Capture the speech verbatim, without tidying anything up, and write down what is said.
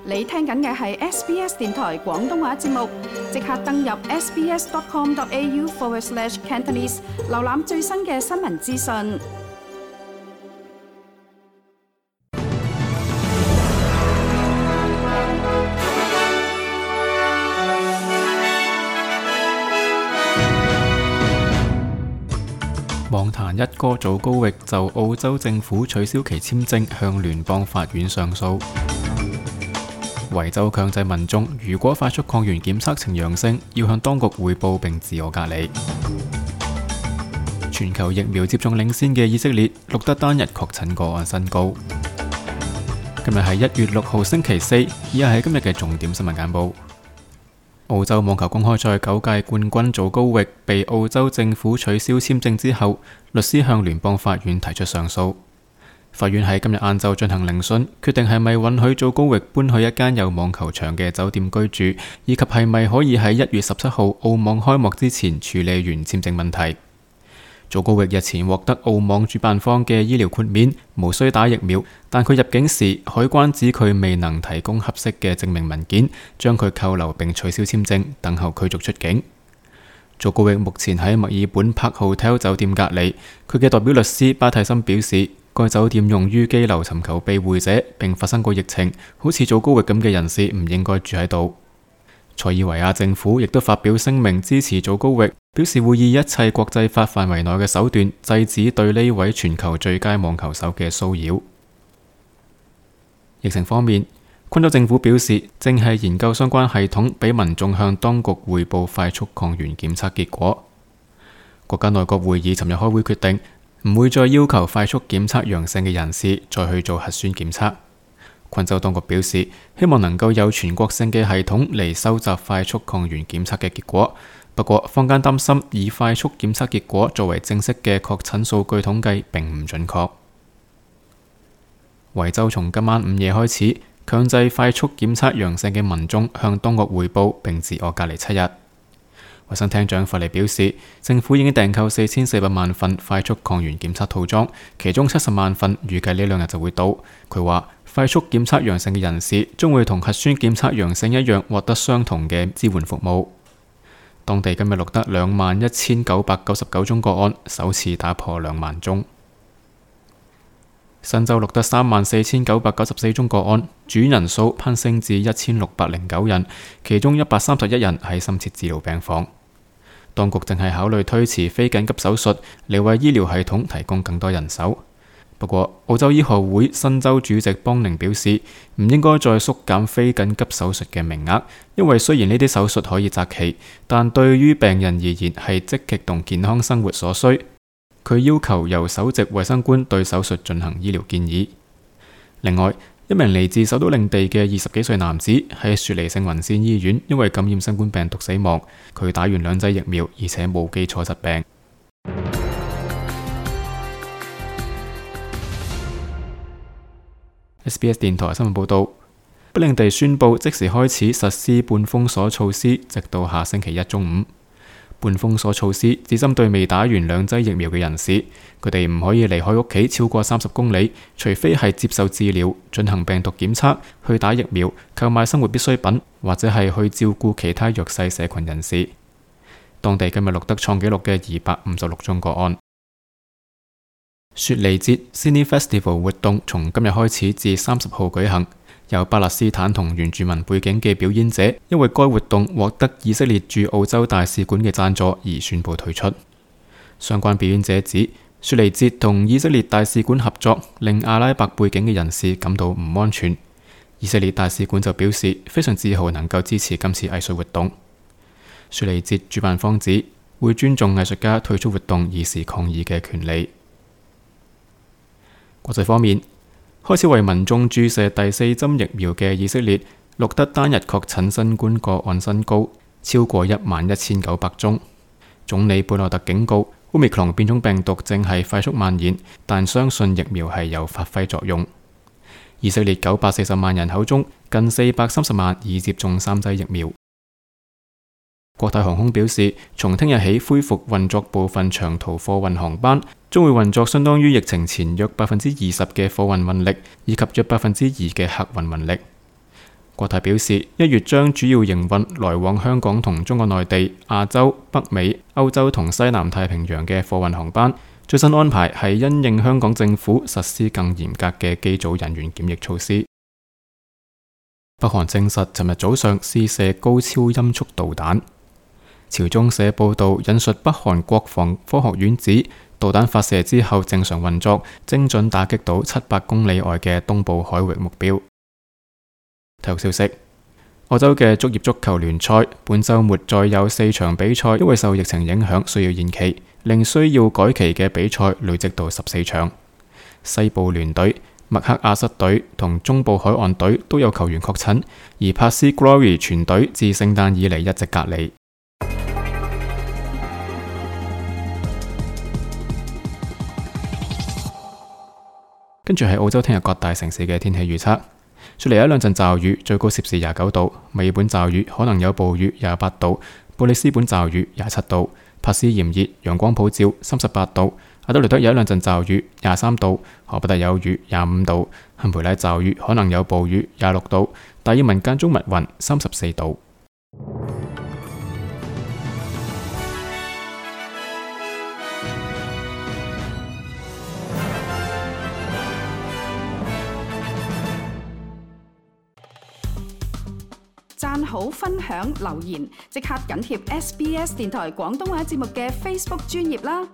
你聽緊嘅係 S B S 電台廣東話節目，即刻登入 sbs.com.au forward slash Cantonese， 瀏覽最新嘅新聞資訊。網壇一哥祖高域就澳洲政府取消其簽證向聯邦法院上訴。維州強制民眾如果快速抗原檢測呈陽性，要向當局匯報並自我隔離。全球疫苗接種領先嘅以色列錄得單日確診個案新高。今日係一月六號星期四，以下係今日嘅重點新聞簡報。澳洲網球公開賽九屆冠軍祖高域被澳洲政府取消簽證之後，律師向聯邦法院提出上訴。法院喺今日晏晝進行聆訊，決定係咪允許祖高域搬去一間有網球場嘅酒店居住，以及係咪可以喺一月十七號澳網開幕之前處理完簽證問題。祖高域日前獲得澳網主辦方嘅醫療豁免，無需打疫苗，但佢入境時海關指佢未能提供合適嘅證明文件，將佢扣留並取消簽證，等候驅逐出境。祖高域目前喺墨爾本 Park Hotel 酒店隔離，佢嘅代表律師巴蒂森表示，該酒店用於羈留尋求庇護者，並發生過疫情，好似祖高域咁嘅人士唔應該住喺度。塞爾維亞政府亦都發表聲明支持祖高域，表示會以一切國際法範圍內嘅手段制止對呢位全球最佳網球手嘅騷擾。疫情方面，昆州政府表示正係研究相關系統，俾民眾向當局匯報快速抗原檢測結果。國家內閣會議尋日開會決定，唔會再要求快速檢測陽性嘅人士再去做核酸檢測。昆州當局表示，希望能夠有全國性嘅系統嚟收集快速抗原檢測嘅結果。不過，坊間擔心以快速檢測結果作為正式嘅確診數據統計並唔準確。維州從今晚午夜開始，強制快速檢測陽性嘅民眾向當局匯報並自我隔離七日。衛生廳長弗利表示，政府已經訂購四千四百萬份快速抗原檢測套裝，其中七十萬份預計呢兩日就會到。佢話，快速檢測陽性嘅人士將會同核酸檢測陽性一樣獲得相同嘅支援服務。當地今日錄得兩萬一千九百九十九宗個案，首次打破兩萬宗。新州錄得三萬四千九百九十四宗個案，住院人數攀升至一千六百零九人，其中一百三十一人喺深切治療病房。當局正係考慮推遲非緊急手術嚟為醫療系統提供更多人手。不過，澳洲醫學會新州主席邦寧表示，唔應該再縮減非緊急手術嘅名額，因為雖然呢啲手術可以擇期，但對於病人而言係積極同健康生活所需。佢要求由首席衛生官對手術進行醫療建議。另外，一名嚟自首都領地嘅二十幾歲男子喺雪梨聖雲仙醫院因為感染新冠病毒死亡，佢打完兩劑疫苗，而且冇基礎疾病。S B S 電台新聞報道，北領地宣布即時開始實施半封鎖措施，直到下星期一中午。半封鎖措施只針對未打完兩劑疫苗嘅人士，佢哋唔可以離開屋企超過三十公里，除非係接受治療、進行病毒檢測、去打疫苗、購買生活必需品，或者係去照顧其他弱勢社群人士。當地今日錄得創紀錄嘅二百五十六宗個案。雪梨節 Sydney Festival 活動從今日開始至三十號舉行。有巴勒斯坦同原住民背景嘅表演者，因為該活動獲得以色列駐澳洲大使館嘅贊助而宣布退出。相關表演者指，雪梨節同以色列大使館合作，令阿拉伯背景嘅人士感到唔安全。以色列大使館就表示非常自豪能夠支持今次藝術活動。雪梨節主辦方指會尊重藝術家退出活動以示抗議嘅權利。國際方面，開始為民眾注射第四針疫苗嘅以色列錄得單日確診新冠個案新高，超過一萬一千九百宗。總理貝內特警告，Omicron變種病毒正係快速蔓延，但相信疫苗係有發揮作用。以色列九百四十萬人口中，近四百三十萬已接種三劑疫苗。國泰航空表示，從聽日起恢復運作部分長途貨運航班，將會運作相當於疫情前約百分之二十嘅貨運運力，以及約百分之二嘅客運運力。國泰表示，一月將主要營運來往香港同中國內地、亞洲、北美、歐洲同西南太平洋嘅貨運航班。最新安排係因應香港政府實施更嚴格嘅機組人員檢疫措施。北韓證實，尋日早上試射高超音速導彈。朝中社報導引述北韓國防科學院指，導彈發射之後正常運作，精準打擊到七百公里外嘅東部海域目標。體育消息：澳洲嘅職業足球聯賽本週末再有四場比賽因為受疫情影響需要延期，令需要改期嘅比賽累積到十四場。西部聯隊、麥克阿瑟隊同中部海岸隊都有球員確診，而帕斯 Glory 全隊自聖誕以嚟一直隔離。跟住係澳洲聽日各大城市嘅天氣預測。雪梨有一兩陣驟雨，最高攝氏廿九度；墨爾本驟雨可能有暴雨，廿八度；布里斯本驟雨廿七度；珀斯炎熱，陽光普照，三十八度；阿德萊德有一兩陣驟雨，廿三度；荷伯特有雨，廿五度；堪培拉驟雨可能有暴雨，廿六度；達爾文間中密雲，三十四度。讚好、分享、留言，即刻緊貼 S B S 電台廣東話節目嘅 Facebook 專頁啦！